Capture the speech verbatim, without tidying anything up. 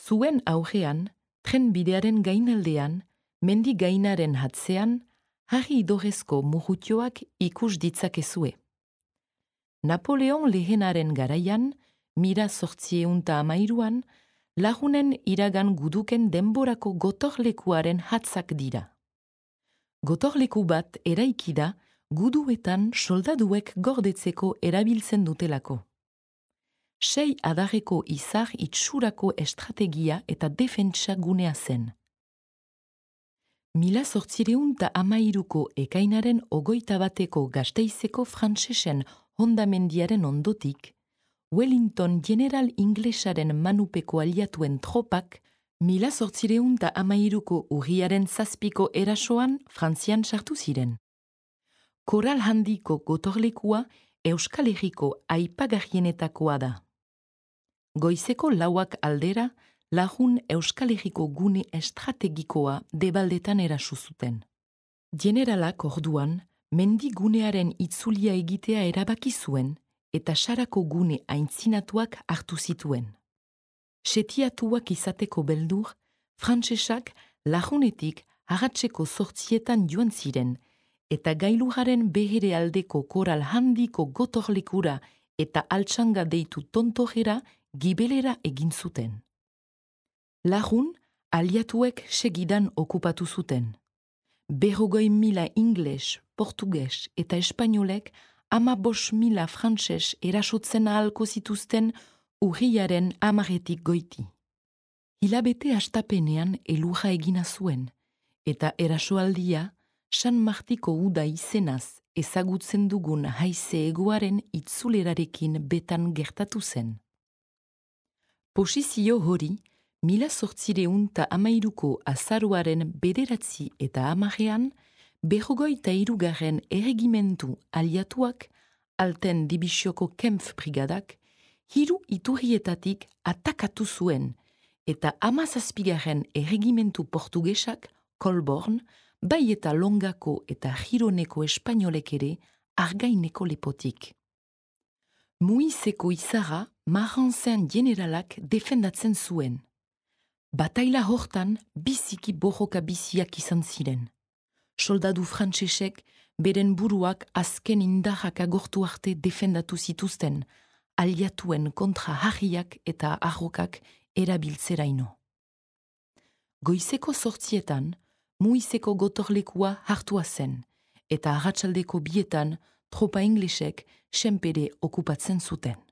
Zuen aurrean, tren bidearen gainaldean, mendi gainaren hatzean, harri idorezko murutioak ikus ditzakezue. Napoleon lehenaren garaian, mira zortzieunta amairuan, lagunen iragan guduken denborako gotorlekuaren hatzak dira. Gotorleku bat eraikida guduetan soldaduek gordetzeko erabiltzen dutelako. Sei adarreko izar itxurako estrategia eta defentsa gunea zen. Mila zortzireunta amairuko ekainaren ogoita bateko Gasteizeko frantsesen hondamendiaren ondotik, Wellington general inglesaren manupeko aliatuen tropak, mila zortzireunta amairuko urriaren zazpiko erasoan Frantzian sartu ziren. Koral handiko gotorlekua Euskal Herriko aipagarrienetakoa da. Goizeko lauak aldera, lagun Euskal Herriko gune estrategikoa debaldetan erasu zuten. Generalak orduan, mendi gunearen itzulia egitea erabaki zuen eta sarako gune aintzinatuak hartu zituen. Setiatuak izateko beldur, frantsesak lagunetik arratseko zortzietan joan ziren eta gailurraren behere aldeko koral handiko gotorlekura eta altxanga deitu tontojera gibelera egin zuten. Lagun, aliatuek segidan okupatu zuten. Berrogoi mila ingles, portuges eta espainolek ama bos mila frantses erasotzen ahalko zituzten urriaren amaretik goiti. Hilabete astapenean elurra egina zuen, eta erasoaldia San Martiko uda izenaz ezagutzen dugun haize egoaren itzulerarekin betan gertatu zen. Posizio hori, mila zortzireunta amairuko azaruaren bederatzi eta amarean, berrogoita hirugarren erregimentu aliatuak, alten dibisioko Kempf brigadak, hiru iturrietatik atakatu zuen, eta hamazazpigarren erregimentu portugesak, Colborn, bai eta Longako eta Gironeko espainolek ere argaineko lepotik. Muizeko izarra Maranzen generalak defendatzen zuen. Bataila hortan biziki borroka biziak izan ziren. Soldadu frantsesek beren buruak azken indarrak agortu arte defendatu zituzten, aliatuen kontra harriak eta arrokak erabiltzeraino. Goizeko zortzietan, Muizeko gotorlekua hartua zen, eta arratsaldeko bietan tropa inglesek senpere okupatzen zuten.